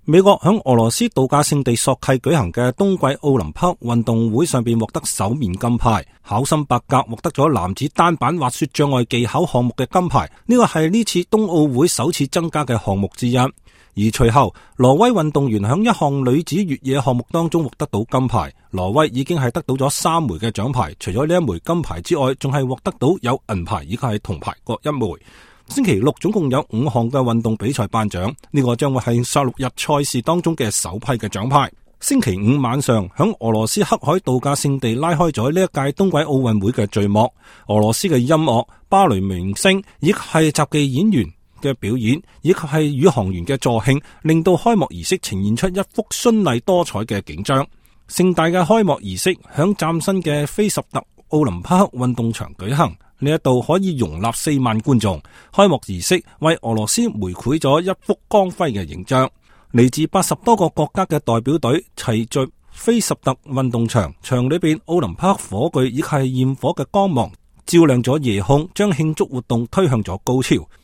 美國響俄羅斯度假勝地索契舉行嘅冬季奧林匹克運動會上邊獲得首面金牌，考森伯格獲得咗男子單板滑雪障礙技巧項目嘅金牌，呢個係呢次冬奧會首次增加嘅項目之一。而隨後，挪威運動員響一項女子越野項目當中獲得到金牌，挪威已經係得到咗3枚嘅獎牌，除咗呢一枚金牌之外，仲係獲得到有銀牌以及係銅牌各1枚。星期六總共有5項嘅運動比賽頒獎，呢個將會係16日賽事當中嘅首批嘅獎牌。星期五晚上，響俄羅斯黑海度假勝地拉開咗呢一屆冬季奧運會嘅序幕。俄羅斯嘅音樂、芭蕾明星以及係雜技演員嘅表演，以及係宇航員嘅助興，令到開幕儀式呈現出一幅絢麗多彩嘅景象。盛大嘅開幕儀式響嶄新嘅菲什特奧林匹克運動場舉行。呢一度可以容納4萬觀眾。開幕儀式為俄羅斯描繪咗一幅光輝嘅形象。嚟自80多個國家嘅代表隊齊聚菲什特運動場，場裏邊奧林匹克火炬以及係焰火嘅光芒照亮咗夜空，將慶祝活動推向咗高潮。